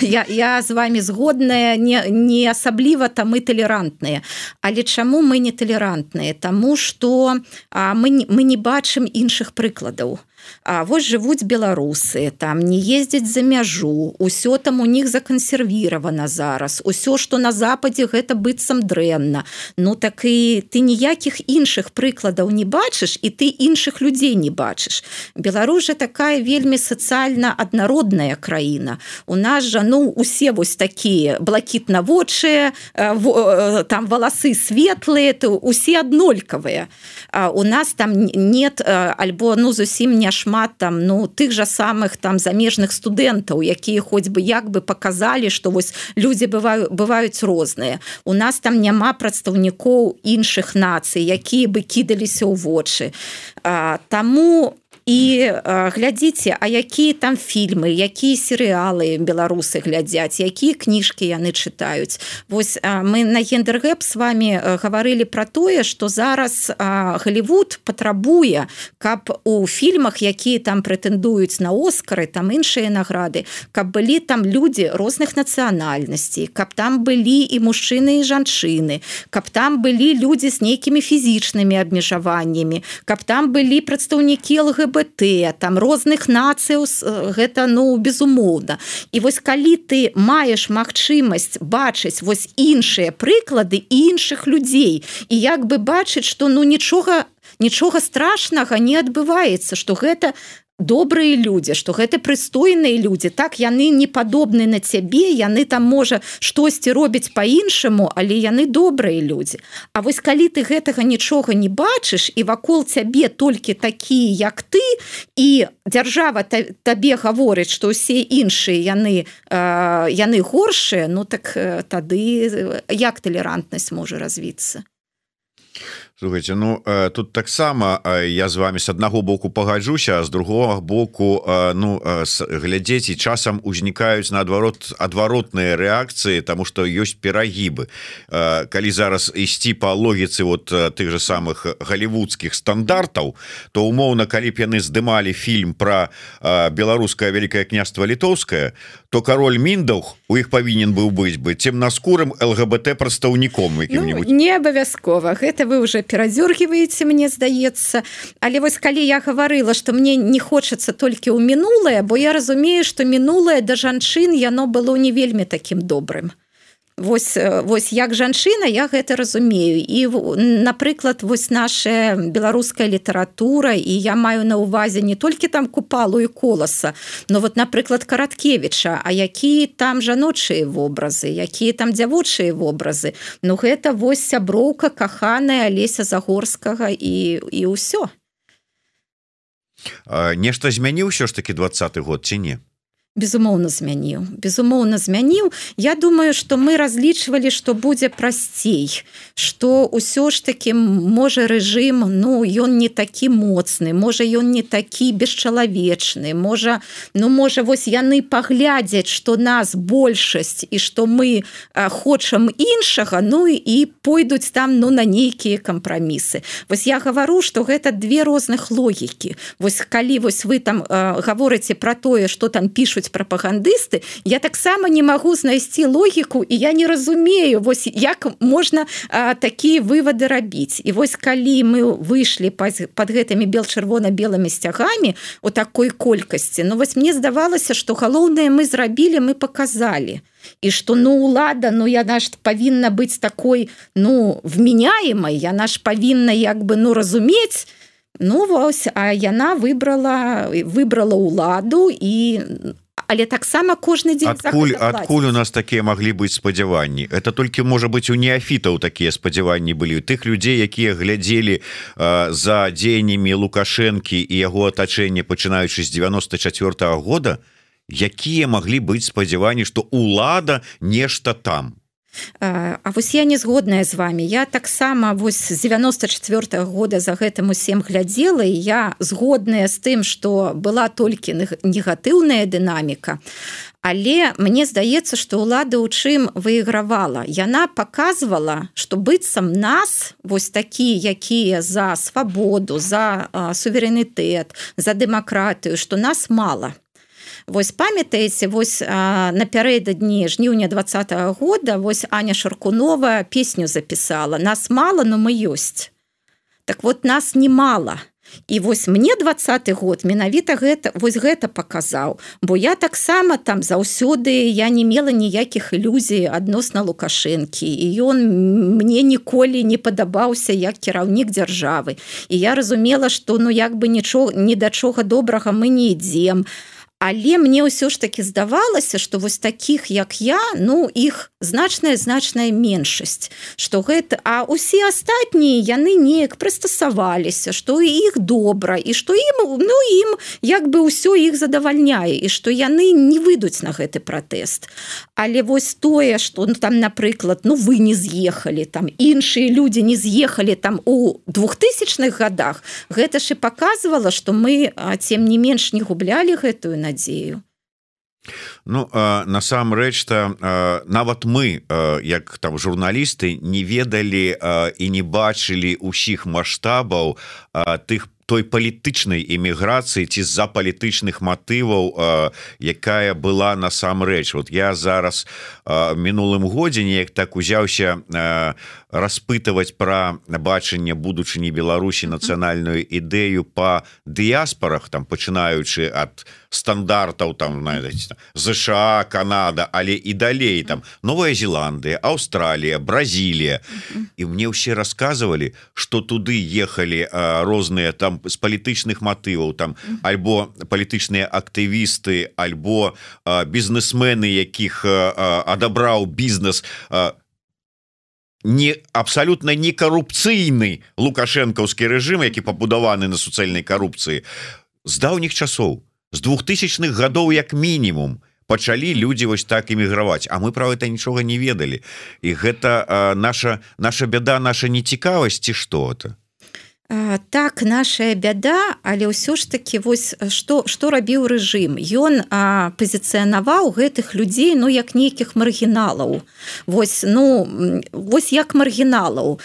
[SPEAKER 2] Я, я з вами згодная, не, не асабліва там мы талерантныя. Але чаму мы не талерантныя? Таму што мы, мы не бачым іншых прыкладаў. А вось жывуць беларусы, там не ездзяць за мяжу, усё там у них закансервіравана зараз, усё, што на западзе гэта быццам дрэнна. Ну так і ты ніякіх іншых прыкладаў не бачыш, і ты іншых людзей не бачыш. Беларусь жа такая вельмі сацыяльна аднародная краіна. У нас жа, ну, усе вось такія блакітнавочыя, там валасы светлыя, то усе аднолькавыя. У нас там нет, альбо, ну, зусім не шмат там, ну, тых жа самых там замежных студэнтаў, якія хоць бы як бы показалі, што вось людзі бываю, бываюць розныя. У нас там няма прадстаўнікоў іншых нацый, якія бы кідаліся ў вочы. А, таму і а, глядзіце, а якія там фільмы, якія серыялы беларусы глядзяць, якія кніжкі яны чытаюць. Вось а, мы на Гендергэп с вами а, гаварылі пра тое, што зараз а, Голлівуд патрабуе, каб у фільмах, якія там прэтэндуюць на Оскары, там іншыя награды, каб былі там людзі розных нацыянальнасцей, каб там былі і мужчыны, і жанчыны, каб там былі людзі з нейкімі фізічнымі абмежаваннямі, каб там былі прадстаўнікі эл гэ бэ тэ, там розных нацыяў, гэта, ну, безумоўна. І вось калі ты маеш магчымасць бачыць вось іншыя прыклады іншых людзей, і як бы бачыць, што, ну, нічога, нічога страшнага не адбываецца, што гэта добрыя людзі, што гэта прыстойныя людзі, так, яны не падобны на цябе, яны там, можа, штосьці робяць па-іншаму, але яны добрыя людзі. А вось калі ты гэтага нічога не бачыш, і вакол цябе толькі такія, як ты, і дзяржава табе гаворыць, што ўсе іншыя яны, э, яны горшыя, ну так тады як талерантнасць можа развіцца?
[SPEAKER 1] Слухайте, ну тут таксама я з вами с аднаго боку пагаджуся, а з другого боку, ну, глядзець, і часам узнікаюць наадварот адваротныя рэакцыі, таму што ёсць перагібы. Калі зараз ісці па логіцы вот тых же самых голливудскіх стандартаў, то умоўна, калі б яны здымалі фільм пра беларускае Вялікае княства Літоўскае, то кароль Міндаўг у іх павінен быў быць бы цемнаскурым эл гэ бэ тэ прадстаўніком якім-нибудь.
[SPEAKER 2] Ну, не абавязкова, гэта вы уже перадзёргіваеце, мне здаецца. Але вось калі я гаварыла, што мне не хочацца толькі ў мінулае, бо я разумею, што мінулае да жанчын яно было не вельмі такім добрым. Вось, вось як жанчына я гэта разумею. І, напрыклад, вось наша беларуская літаратура, і я маю на ўвазе не толькі там Купалу і Коласа, но вот, напрыклад, Караткевіча, а якія там жаночыя вобразы, якія там дзявочыя вобразы. Ну гэта вось сяброўка каханая Алеся Загорскага і, і ўсё.
[SPEAKER 1] А, нешта змяніў ўсё ж такі двадцаты год ці не?
[SPEAKER 2] Безумоўна змяніў, безумоўна змяніў. Я думаю, што мы разлічвалі, што будзе прасцей, што ўсё ж таки можа рэжым, ну, ён не такі моцны, можа ён не такі бесчалавечны, можа, ну, можа вось яны паглядзяць, што нас большасць і што мы а, хочам іншага, ну і пойдуць там, ну, на нейкія кампрамісы. Вось я гавару, што гэта две розных логікі. Вось калі вось вы там а, гаворыце пра тое, што там пішуць прапагандысты, я таксама не магу знайсці логіку, і я не разумею, вось як можна а, такія вывады рабіць. І вось калі мы выйшлі пад, пад гэтымі бел-чырвона-белымі сцягамі у такой колькасці, ну вось мне здавалася, што галоўнае мы зрабілі, мы паказалі. І што, ну, улада, ну, яна ж павінна быць такой, ну, вменяемай, яна ж павінна, як бы, ну, разумець. Ну, вось, а яна выбрала, выбрала уладу, і але таксама кожны дзень
[SPEAKER 1] адкуль, адкуль у нас такія маглі быць спадзяванні? Это толькі, можа быць, у неафітаў такія спадзяванні былі, у тых людзей, якія глядзелі э, за дзеяннямі Лукашэнкі і яго атачэння, пачынаючы з дзевяноста чацвёртага года, якія маглі быць спадзяванні, што улада нешта там?
[SPEAKER 2] А вось я не згодная з вами. Я таксама вось з девяносто четвёртого года за гэтым усім глядзела, і я згодная з тым, што была толькі негатыўная дынаміка. Але мне здаецца, што ўлада ў чым выйгравала. Яна паказвала, што быццам нас, вось такія, якія за свабоду, за а, суверэнітэт, за дэмакратыю, што нас мала. Вось памятаеце, вось а, напярэдадні жніўня двадцатого года вось Аня Шаркунова песню запісала. Нас мала, но мы ёсць. Так вот, нас не мала. І вось мне двадцаты год менавіта гэта, вось гэта паказаў, бо я таксама там заўсёды я не мела ніякіх ілюзій адносна Лукашэнкі, і ён мне ніколі не падабаўся як кіраўнік дзяржавы. І я разумела, што ну як бы нічога, ні да чога добрага мы не ідзем. Але мне ўсё ж таки здавалася, што вось такіх, як я, ну, іх значная-значная меншасць. Што гэта... А ўсе астатнія, яны неяк прыстасаваліся, што іх добра, і што ім, ну, ім як бы ўсё іх задавальняе, і што яны не выйдуць на гэты пратэст. Але вось тое, што ну, там, напрыклад, ну, вы не з'ехалі, там, іншыя людзі не з'ехалі там у двухтысячных годах, гэта ж і паказвала, што мы, тем не менш, не гублялі гэтую надзею.
[SPEAKER 1] Ну насамрэч-то нават мы як там журналісты не ведалі і не бачылі ўсіх маштабаў тых той палітычнай эміграцыі ці з-за палітычных матываў, якая была насамрэч. Вот я зараз мінулым годзе неяк так узяўся распытываць пра бачанне будучыні Беларусі нацыянальную ідэю па дыяспарах, там пачынаючы ад стандартаў там знаете, ЗША, Канада, але і далей там Новая Зеландыя, Аўстралія, Бразілія. І мне ўсе расказвалі, што туды ехалі розныя там з палітычных матываў там альбо палітычныя актывісты, альбо бізнесмены, якіх адабраў бізнес, не абсалютна не карупцыйны лукашэнкаўскі рэжым, які пабудаваны на суцэльнай карупцыі. З даўніх часоў, з двухтысячных гадоў як мінімум пачалі людзі вось так эміграваць, а мы пра гэта нічога не ведалі. І гэта наша, наша бяда, наша нецікавасць ці што-то.
[SPEAKER 2] Так, нашая бяда, але ўсё ж таки вось што, што рабіў рэжым. Ён а, пазіцыянаваў гэтых людзей ну як нейкіх маргіналаў. Вось, ну, вось як маргіналаў.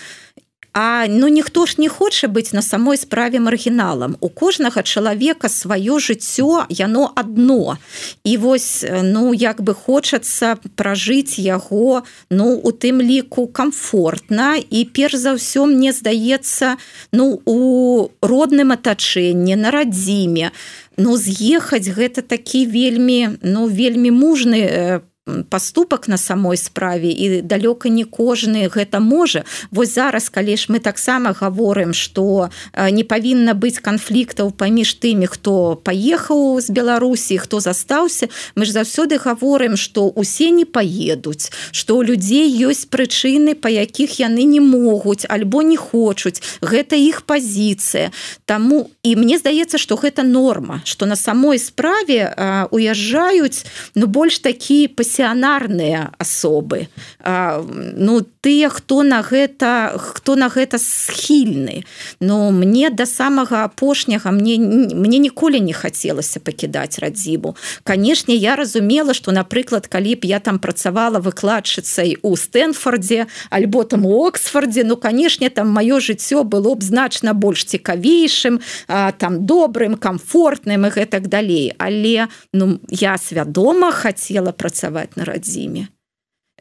[SPEAKER 2] А ну ніхто ж не хоча быць на самой справе маргіналам. У кожнага чалавека сваё жыццё, яно адно. І вось, ну, як бы хочацца пражыць яго, ну, у тым ліку камфортна. І перш за ўсё, мне здаецца, ну, у родным атачэнні, на радзіме. Ну, з'ехаць гэта такі вельмі, ну, вельмі мужны паступак на самой справе, і далёка не кожны гэта можа. Вось зараз, калі ж мы таксама гаворым, што не павінна быць канфліктаў паміж тымі, хто паехаў з Беларусі, хто застаўся, мы ж заўсёды гаворым, што усе не паедуць, што ў людзей ёсць прычыны, па якіх яны не могуць альбо не хочуць. Гэта іх пазіцыя. Таму і мне здаецца, што гэта норма, што на самой справе а, уязджаюць ну больш такі пасіянарныя асобы. А, ну, тыя, хто на гэта, хто на гэта схільны. Ну, мне да самага апошняга, мне, мне ніколі не хацелася пакідаць радзіму. Канешне, я разумела, што, напрыклад, калі б я там працавала выкладчыцай у Стэнфордзе, альбо там у Оксфордзе, ну, канешне, там маё жыццё было б значна больш цікавейшым, а, там добрым, камфортным і гэтак далей. Але, ну, я свядома хацела працаваць на радзіме,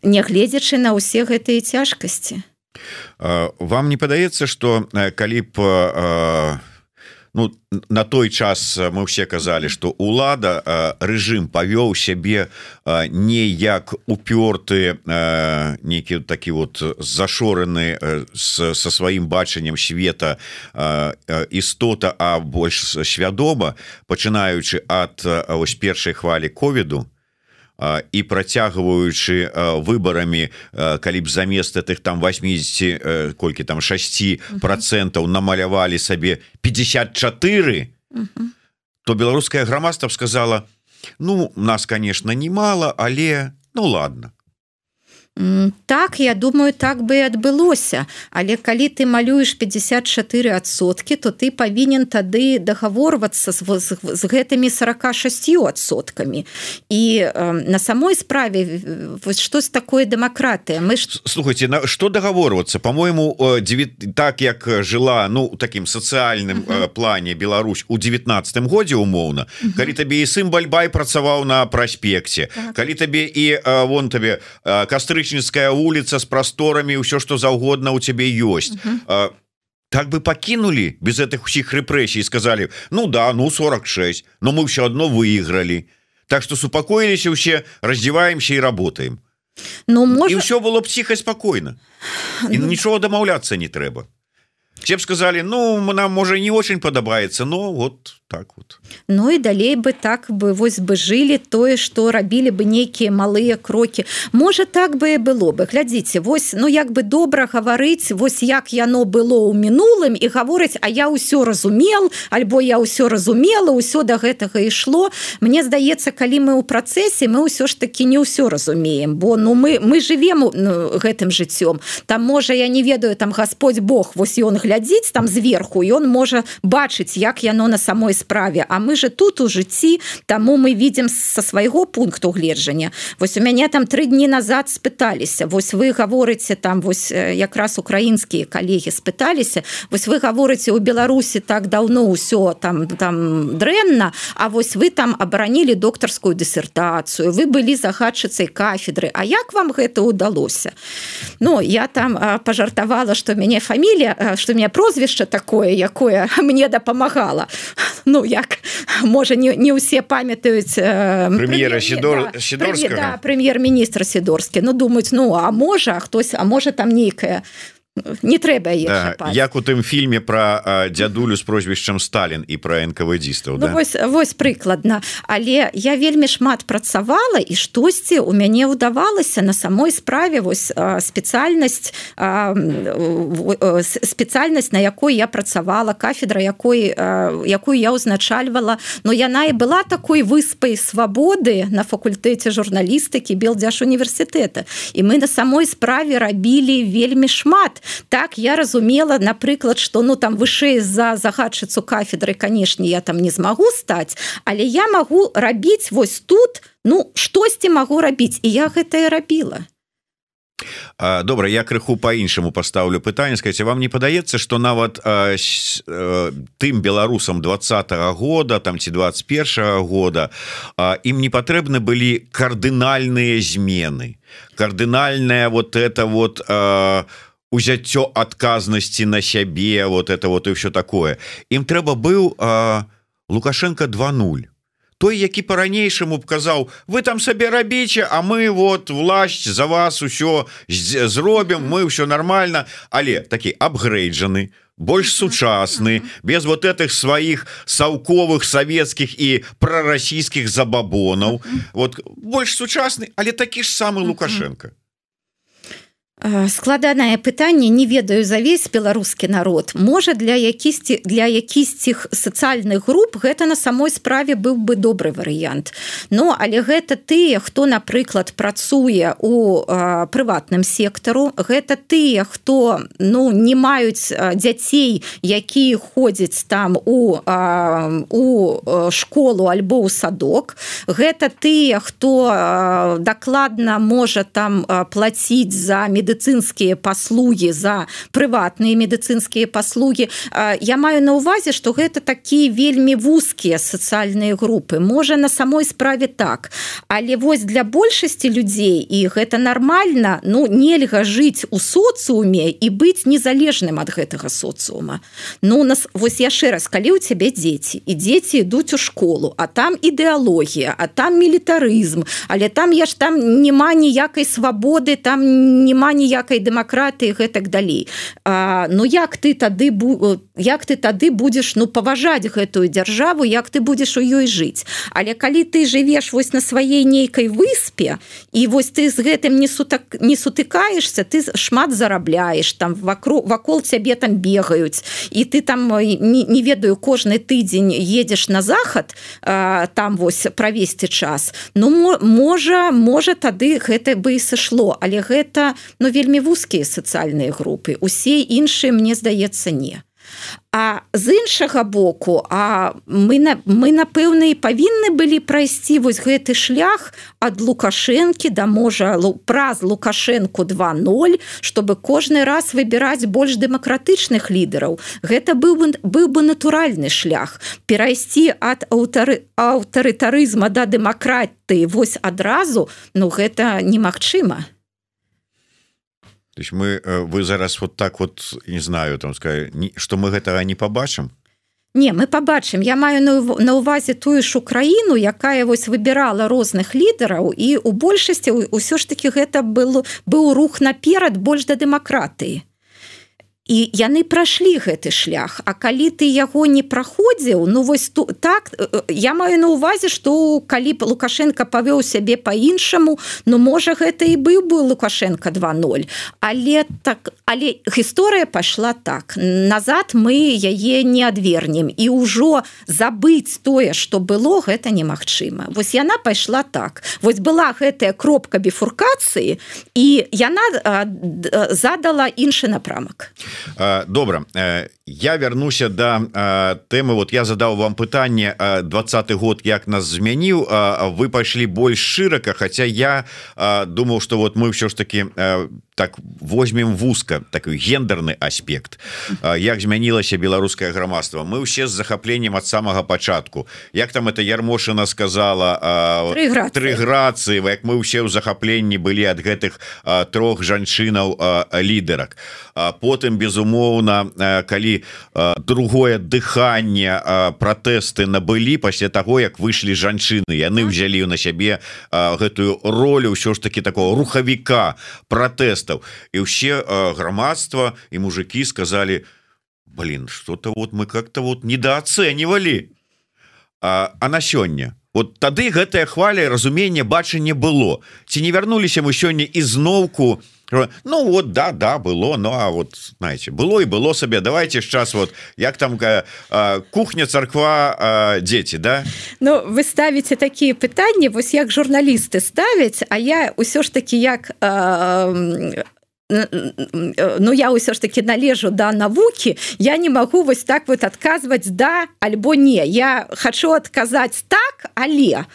[SPEAKER 2] нягледзячы на ўсе гэтыя цяжкасці.
[SPEAKER 1] Вам не падаецца, што калі б ну, на той час мы ўсе казалі, што ўлада, рэжым павёў сябе не як упёрты нейкі такі вот зашораны со сваім бачаннем света істота, а больш свядома, пачынаючы ад ось першай хвалі ковіду, і працягваючы выбарамі, калі б замест гэтых там восемьдесят, колькі там шесть процентаў намалявалі сабе пятьдесят четыре, uh-huh. то беларускае грамадства б сказала, ну, нас, конечно, немало, але ну ладно.
[SPEAKER 2] Так, я думаю, так бы і адбылося. Але калі ты малюеш пятьдесят четыре адсоткі, то ты павінен тады дагаворвацца з, з, з гэтымі сорок шесть адсоткамі. І э, на самой справе вось штось такое дэмакратыя. Мы ж...
[SPEAKER 1] Слухайте, на што дагаворвацца? По-моему, так як жыла, ну, у такім сацыяльным uh-huh. плане Беларусь у девятнадцатым годзе умоўна, uh-huh. калі табе і сын Бальбай працаваў на праспекце, uh-huh. калі табе і вон табе Кастрычніцкая вуліца з прасторамі, ўсё што заўгодна у цябе ёсць. Uh-huh. Так бы пакінулі без гэтых усіх рэпрэсій, сказалі: ну да, ну сорок шесть, но мы ўсё адно выйгралі. Так што супакоіліся ўсе, раздзяваемся і работаем.
[SPEAKER 2] Ну, можа...
[SPEAKER 1] І ўсё было б ціха спакойна. І ну... нічого дамаўляцца не трэба. Все б сказали: ну, нам, можа, не очень падабаецца, но вот так вот.
[SPEAKER 2] Ну і далей бы так бы вось бы жылі тое, што рабілі бы нейкія малыя крокі. Можа, так бы і было бы. Глядзіце, вось, ну як бы добра гаварыць, вось як яно было ў мінулым, і гаворыць: а я ўсё разумел, альбо я ўсё разумела, ўсё да гэтага ішло. Мне здаецца, калі мы ў працэсе, мы ўсё ж такі не ўсё разумеем, бо ну мы мы жывем ну, гэтым жыццём. Там можа, я не ведаю, там Господь Бог, вось ён глядзіць там зверху, і он можа бачыць, як яно на самой справе, а мы же тут у жыцці, таму мы видим со свайго пункту гледжання. Вось у мяне там тры дні назад спыталіся, вось вы гаворыце там, вось якраз украінскія калегі спыталіся, вось вы гаворыце, у Беларусі так даўно ўсё там, там дрэнна, а вось вы там абаранілі доктарскую дысертацыю, вы былі загадчыцай кафедры, а як вам гэта ўдалося? Ну, я там пажартавала, што мяне фамілія, што мяне прозвішча такое, якое мне дапамагала. Ну, як, можа, не, не ўсе памятаюць э,
[SPEAKER 1] прэм'ера Сідор...
[SPEAKER 2] да,
[SPEAKER 1] Сідорскага.
[SPEAKER 2] Да, прэм'ер-міністр Сідорскі. Ну, думаюць, ну, а можа, хтось, а можа там нейкая... Не трэба яе
[SPEAKER 1] да,
[SPEAKER 2] чапаць.
[SPEAKER 1] Як у тым фільме пра а, дзядулю з прозвішчам Сталін і пра эн ка вэ дзістаў,
[SPEAKER 2] ну,
[SPEAKER 1] да?
[SPEAKER 2] Вось, вось прыкладна. Але я вельмі шмат працавала, і штосьці у мяне ўдавалася на самой справе вось спецыяльнасць, спецыяльнасць, на якой я працавала, кафедра, якой, якую я ўзначальвала, но яна і была такой выспай свабоды на факультэце журналістыкі Белдзяжуніверсітэта. І мы на самой справе рабілі вельмі шмат. Так, я разумела, напрыклад, што ну там вышэй за загадчыцу кафедры, канешне, я там не змагу стаць, але я магу рабіць вось тут, ну, штосьці магу рабіць, і я гэта і рабіла.
[SPEAKER 1] Добра, я крыху па-іншаму пастаўлю пытанне. Скажыце, вам не падаецца, што нават а, а, тым беларусам двадцатага года там ці двадцать першага года а, ім не патрэбны былі кардынальныя змены, кардынальная вот это вот а, узяццё адказнасці на сябе, вот это вот і ўсё такое. Ім трэба быў а, Лукашенко два нуль. Той, які по-ранейшаму б казаў: вы там сабе рабіце, а мы вот власць за вас усё зробім, мы ўсё нормально, але такі апгрейджаны, больш сучасны, без вот этих сваіх саўковых савецкіх і прарасійскіх забабонаў. Вот больш сучасны, але такі ж самы Лукашенко.
[SPEAKER 2] Складанае пытанне, не ведаю за весь беларускі народ. Можа, для якісьці для якісьціх сацыяльных груп гэта на самой справе быў бы добры варыянт. Ну, але гэта тыя, хто, напрыклад, працуе у а, прыватным сектару, гэта тыя, хто ну не маюць дзяцей, якія ходзяць там у а, у школу альбо ў садок. Гэта тыя, хто а, дакладна можа там а, плаціць за медыцынскія медыцынскія паслугі, за прыватныя медыцынскія паслугі. Я маю на ўвазе, што гэта такія вельмі вузкія сацыяльныя групы. Можа, на самой справе так. Але вось для большасці людзей, і гэта нармальна, ну, нельга жыць у соцыуме і быць незалежным ад гэтага соцыума. Ну, нас, вось яшчэ раз, калі ў цябе дзеці, і дзеці ідуць у школу, а там ідэалогія, а там мілітарызм, але там я ж там няма ніякай свабоды, там няма ніякай дэмакратыі гэтак далей. А, ну як ты тады як ты тады будзеш ну паважаць гэтую дзяржаву, як ты будзеш у ёй жыць. Але калі ты жывеш вось на сваей нейкай выспе і вось ты з гэтым не сутак не сутыкаешься, ты шмат зарабляеш, там вакол вакол цябе там бегаюць і ты там не, не ведаю кожны тыдзень едзеш на захад а, там вось правесці час. Ну можа можа тады гэта бы і сышло, але гэта ну вельмі вузкія сацыяльныя групы, усе іншыя мне здаецца не. А з іншага боку, а мы, мы напэўна, і павінны былі прайсці вось гэты шлях ад Лукашэнкі да, можа, праз Лукашэнку два ноль, чтобы кожны раз выбіраць больш дэмакратычных лідараў. Гэта быў бы, быў бы натуральны шлях. Перайсці ад аўтары, аўтарытарызма да дэмакратыі вось адразу, ну гэта немагчыма.
[SPEAKER 1] То есть мы вы зараз вот так вот не знаю там сказать, что мы гэтага не побачым.
[SPEAKER 2] Не, мы побачым. Я маю на увазе тую ж Украіну, якая вось выбірала розных лідараў, і у большасці ўсё ж таки гэта был быў рух наперад больш да дэмакратыі. І яны прайшлі гэты шлях. А калі ты яго не праходзіў, ну вось ту, так, я маю на увазе, што калі Лукашенко павёў сябе па-іншаму, ну можа гэта і быў бы Лукашенко два ноль. Але так, але гісторыя пайшла так. Назад мы яе не адвернем. І ўжо забыць тое, што было, гэта немагчыма. Вось яна пайшла так. Вось была гэтая кропка біфуркацыі, і яна а, задала іншы напрамак.
[SPEAKER 1] Добра, я вярнуся да тэмы. Вот я задаў вам пытанне двадцаты год як нас змяніў, вы пайшлі больш шырака, хаця я думаў, што вот мы ўсё ж таки так возьмем вузка такой гендерны аспект, як змянілася беларускае грамадства. Мы ўсе з захапленнем ад самага пачатку, як там это Ярмошына сказала, тры грацыі, як мы ўсе ў захапленні былі ад гэтых трох жанчынаў лідарак. Потым безумоўна, калі другое дыханне, пратэсты набылі пасля таго, як выйшлі жанчыны, яны ўзялі на сябе гэтую ролю ўсё ж таки такого рухавіка пратэстаў, і ўсе грамадства і мужики сказали: блин, что-то вот мы как-то вот недооценивали. А, а на сёння вот тады гэтая хваля, разумение, бачанне было. Ці не вярнуліся мы сёння ізноўку? Ну вот да да было, ну а вот знаете, было и было сабе. Давайте сейчас вот як там э, кухня, царква, э, дети, да?
[SPEAKER 2] Ну вы ставите такие пытанні, вось як журналісты ставяць, а я ўсё ж таки як э, ну я ўсё ж таки належу да навукі, я не могу вось так вот адказваць да альбо не. Я хочу адказаць так, але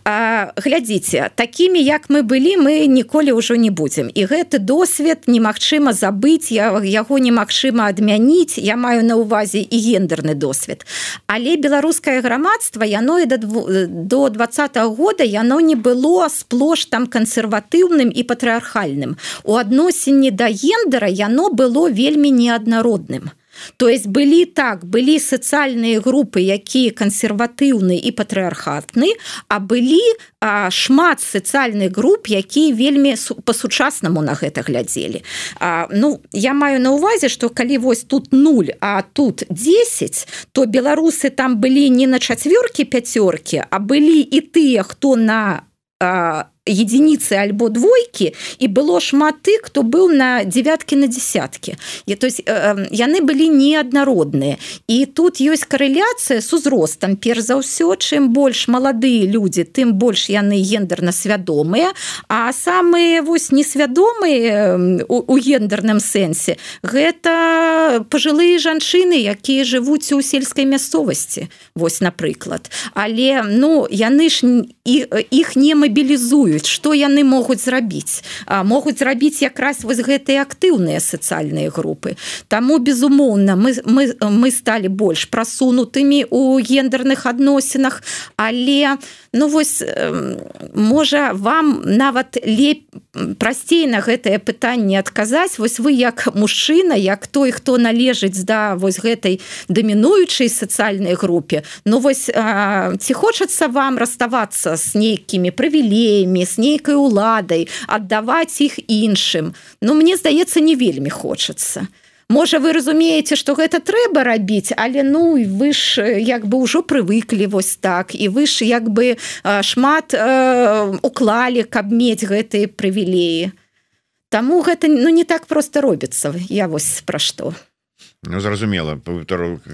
[SPEAKER 2] а, глядзіце, такімі як мы былі, мы ніколі ўжо не будзем, і гэты досвед немагчыма забыць, я, яго немагчыма адмяніць. Я маю на увазе і гендерны досвед, але беларускае грамадства, яно і да, до двадцатого года яно не было сплош там кансерватыўным і патрыархальным. У адносіне да гендера яно было вельмі неаднародным. То есть былі так, былі сацыяльныя групы, якія кансерватыўны і патрыархатны, а былі а, шмат сацыяльных груп, якія вельмі па-сучаснаму на гэта глядзелі. А, ну, я маю на увазе, што калі вось тут нуль, а тут десять, то беларусы там былі не на чацвёркі, пяцёркі, а былі і тыя, хто на а, единицы альбо двойки, і было шмат тых, хто быў на девяткі, на десяткі. І, то есть, э, яны былі неаднародныя. І тут ёсць карэляцыя з узростам. Перш за ўсё, чым больш маладыя людзі, тым больш яны гендерна свядомыя, а самыя вось несвядомыя у, у гендерным сэнсе гэта пажылыя жанчыны, якія жывуць у сельскай мясцовасці. Вось, напрыклад. Але, ну, яны ж іх не мабілізуюць. Што яны могуць зрабіць? А, могуць зрабіць якраз вось гэтыя актыўныя сацыяльныя групы. Таму, безумоўна, мы, мы, мы сталі больш прасунутымі ў гендерных адносінах, але, ну вось, можа, вам нават леп... прасцей на гэтае пытанне адказаць. Вось вы як мужчына, як той, хто належыць да вось гэтай дамінуючай сацыяльнай групе, ну вось ці хочацца вам раставацца з нейкімі прывілеямі, з нейкай уладай, аддаваць іх іншым? Ну мне здаецца, не вельмі хочацца. Можа, вы разумееце, што гэта трэба рабіць, але ну вы ж як бы ўжо прывыклі вось так, і вы ж як бы шмат э, уклалі, каб мець гэтыя прывілеі. Таму гэта ну, не так проста робіцца. Я вось пра што.
[SPEAKER 1] Ну, зразумела,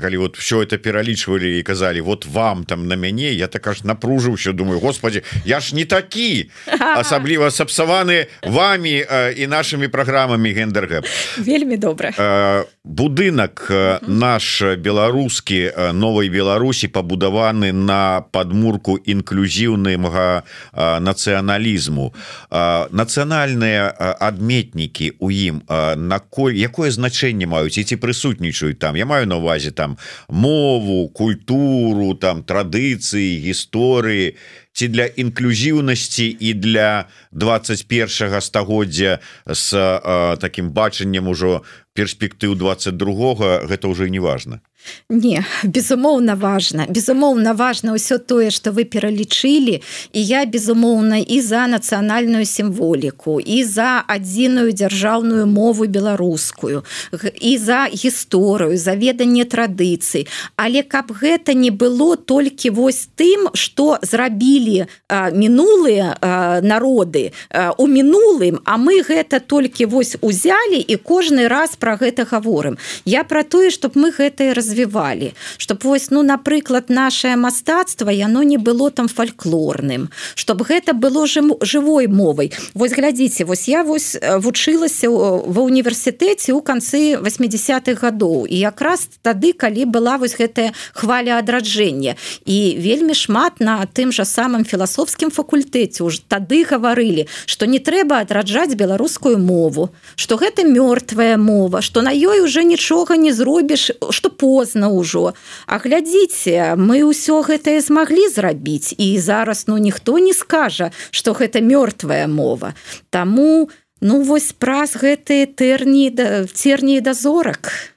[SPEAKER 1] калі вот все это пералічвалі і казалі вот вам там на мяне, я так аж напружыўся, думаю, господи, я ж не такі, асабліва сапсаваны вами э, і нашими праграмамі Гендергэп.
[SPEAKER 2] Вельмі добра.
[SPEAKER 1] Э, будынак э, наш беларускі э, Новай Беларусі пабудаваны на падмурку інклюзіўнага э, нацыяналізму. Э, нацыянальныя э, адметнікі у ім э, на коль, якое значэнне маюць і ці прысутнічаюць там, я маю на увазе там мову, культуру, там традыцыі, гісторыі, ці для інклюзіўнасці і для двадцать першага стагоддзя з э, такім бачаннем ужо перспектыў двадцать другога, гэта ўжо не важна.
[SPEAKER 2] Не, безумоўна важна. Безумоўна важна ўсё тое, што вы пералічылі, і я безумоўна і за нацыянальную сімволіку, і за адзіную дзяржаўную мову беларускую, і за гісторыю, за веданне традыцый. Але каб гэта не было толькі вось тым, што зрабілі а, мінулыя а, народы а, у мінулым, а мы гэта толькі вось узялі і кожны раз пра гэта гаворым. Я пра тое, чтоб мы гэтае развівалі. развівалі, чтобы вось, ну, напрыклад, наше мастацтва, яно не было там фальклорным, чтобы гэта было жывой мовай. Вось глядзіце, вось я вось вучылася ва універсітэце ў канцы восьмидесятых гадоў, і якраз тады, калі была вось гэтая хваля адраджэння, і вельмі шмат на тым жа самым філасофскім факультэце ўжо тады гаварылі, што не трэба адраджаць беларускую мову, што гэта мёртвая мова, што на ёй уже нічога не зробіш, што позна ўжо. А глядзіце, мы ўсё гэтае змаглі зрабіць, і зараз ну ніхто не скажа, што гэта мёртвая мова. Таму ну вось праз гэтыя тэрні церні да зорак.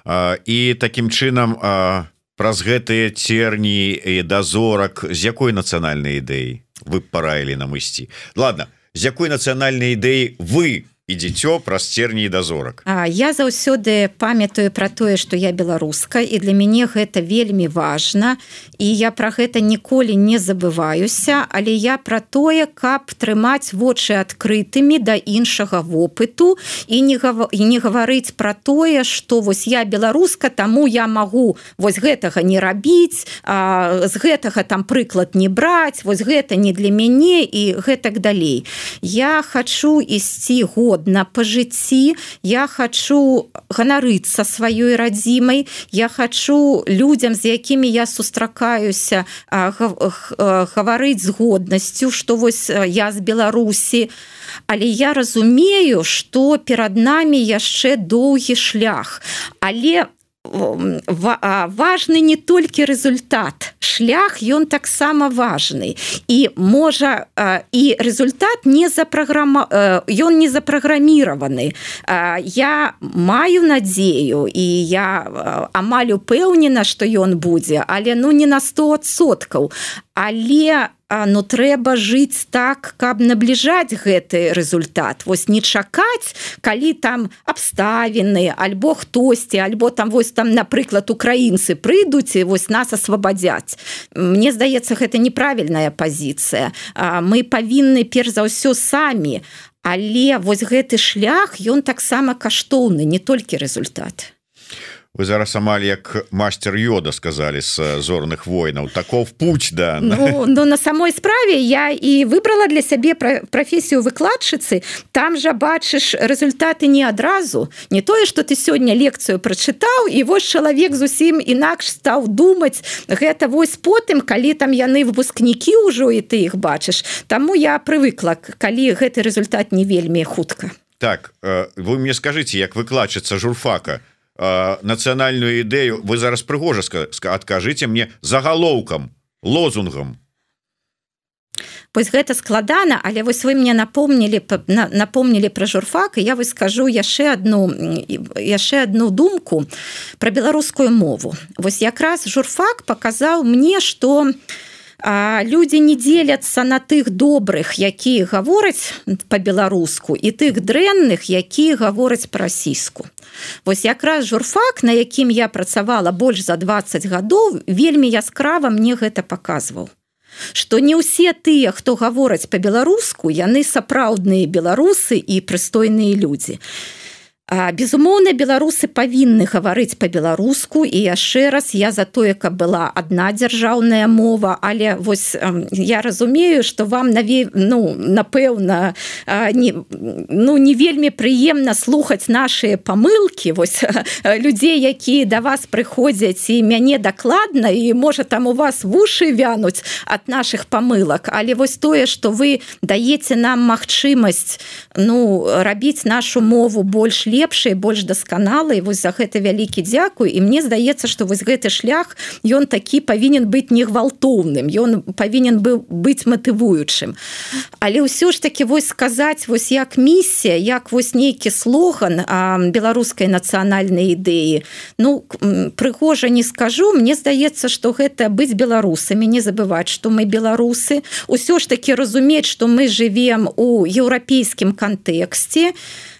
[SPEAKER 1] А, і такім чынам а, праз гэтыя церні і да зорак з якой нацыянальнай ідэі вы б параілі нам ісці? Ладно, з якой нацыянальнай ідэі вы ідзіцё праз церні да зорак?
[SPEAKER 2] Я заўсёды памятаю пра тое, што я беларуска, і для мяне гэта вельмі важна, і я пра гэта ніколі не забываюся, але я пра тое, каб трымаць вочы адкрытымі да іншага вопыту і не, гав... і не гаварыць пра тое, што вось я беларуска, таму я магу вось гэтага не рабіць, а, з гэтага там прыклад не браць, вось гэта не для мяне і гэтак далей. Я хачу ісці год на по жыцці, я хачу ганарыцца сваёй радзімай, я хачу людзям, з якімі я сустракаюся, гаварыць з годнасцю, што вось я з Беларусі, але я разумею, што перад намі яшчэ доўгі шлях, але важны не толькі результат, шлях ён таксама важны, і можа і результат не запраграма... ён не запраграміраваны. Я маю надзею і я амаль упэўнена, што ён будзе, але ну не на сто адсоткаў, але ну трэба жыць так, каб набліжаць гэты результат. Вось не чакаць, калі там абставіны, альбо хтосьці, альбо там вось там, напрыклад, украінцы прыйдуць і вось нас асвабадзяць. Мне здаецца, гэта неправільная пазіцыя. Мы павінны перш за ўсё самі, але вось гэты шлях, ён таксама каштоўны, не толькі результат.
[SPEAKER 1] Вы зараз амаль як мастер Йода сказали з зорных войнаў, таков путь, да.
[SPEAKER 2] Ну, ну на самой справе я і выбрала для сябе прафесію выкладчыцы, там жа бачыш результаты не адразу, не тое, што ты сёння лекцыю прачытаў, і вось чалавек зусім інакш стаў думаць, гэта вось потым, калі там яны выпускнікі ўжо, і ты іх бачыш. Таму я прывыкла, калі гэты результат не вельмі хутка.
[SPEAKER 1] Так, вы мне скажыце, як выкладчыца журфака, нацыянальную ідэю вы зараз прыгожа адкажыце мне загалоўкам, лозунгам.
[SPEAKER 2] Вось гэта складана, але вось вы мне напомнілі напомнілі пра журфак, і я вось скажу яшчэ одну яшчэ одну думку пра беларускую мову. Вось якраз журфак паказаў мне, што людзі не дзеляцца на тых добрых, якія гавораць па-беларуску, і тых дрэнных, якія гавораць па-расійску. Вось якраз журфак, на якім я працавала больш за дваццаць гадоў, вельмі яскрава мне гэта паказваў. Што не ўсе тыя, хто гавораць па-беларуску, яны сапраўдныя беларусы і прыстойныя людзі. Безумоўна, беларусы павінны гаварыць па-беларуску, і яшчэ раз я за тое, каб была адна дзяржаўная мова, але вось я разумею, што вам наве... ну, напэўна не, ну, не вельмі прыемна слухаць нашыя памылкі, вось людзей, якія да вас прыходзяць і мяне дакладна, і можа там у вас вушы вянуць ад нашых памылак, але вось тое, што вы даеце нам магчымасць, ну, рабіць нашу мову больш лепшай, больш дасканалай, вось за гэта вялікі дзякуй, і мне здаецца, што вось гэты шлях, ён такі павінен быць не гвалтоўным, ён павінен быў быць матывуючым. Але ўсё ж такі вось сказаць, вось як місія, як вось нейкі слоган а, беларускай нацыянальнай ідэі, ну, прыгожа не скажу, мне здаецца, што гэта быць беларусамі, не забываць, што мы беларусы, усё ж такі разумець, што мы жывем у еўрапейскім кантэксце,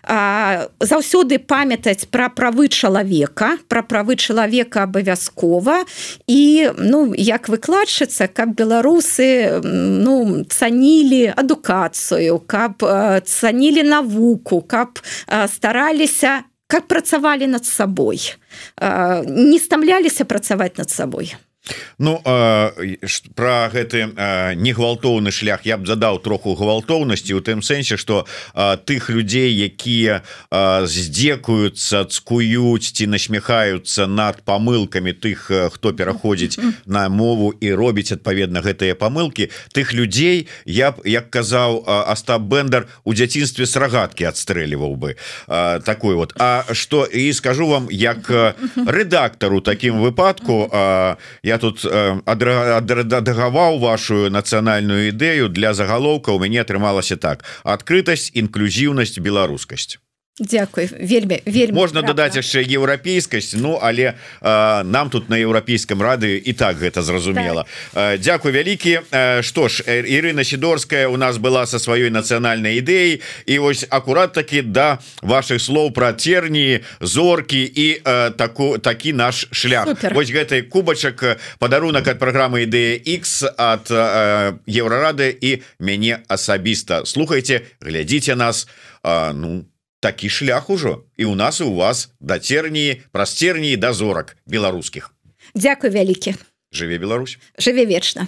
[SPEAKER 2] А, заўсёды памятаць пра правы чалавека, пра правы чалавека абавязкова, і, ну, як выкладчыца, каб беларусы, ну, цанілі адукацыю, каб цанілі навуку, каб стараліся, каб працавалі над сабой, не стамляліся працаваць над сабой.
[SPEAKER 1] Ну э, про гэты э, негвалтоўны шлях я б задаў троху гвалтоўнасці у тым сэнсе, што э, тых людзей, якія э, здзекуюцца, цкуюць ці насмехаюцца над памылкамі тых, хто пераходзіць на мову і робіць адпаведна гэтыя памылкі, тых людзей я б, як казаў Астап Бендер, у дзяцінстве з рагаткі адстрэльваў бы э, такой вот. А што і скажу вам, як рэдактару такім выпадку, э, я Я тут адрэдагаваў вашу нацыянальную ідэю для загалоўка, у мяне атрымалася так: адкрытасць, інклюзіўнасць, беларускасць.
[SPEAKER 2] Дзякуй, вельмі, вельмі
[SPEAKER 1] можна дадаць яшчэ еўрапейскасць, ну але э, нам тут на еўрапейскім радыё і так гэта зразумела. Так. Э, дзякуй вялікі. Э, што ж, Ірына Сідорская у нас была са сваёй нацыянальнай ідэяй, і вось акурат такі да вашых слоў пра церні, зоркі і э, таку, такі наш шлях. Супер. Вось гэты кубачак, падарунак ад праграмы Ідэя Х ад э, Еўрарады і мяне асабіста. Слухайце, глядзіце нас, э, ну, такі шлях ужо і у нас і у вас да церні, праз церні да зорак беларускіх.
[SPEAKER 2] Дзякуй вялікі.
[SPEAKER 1] Жыве Беларусь.
[SPEAKER 2] Жыве вечна.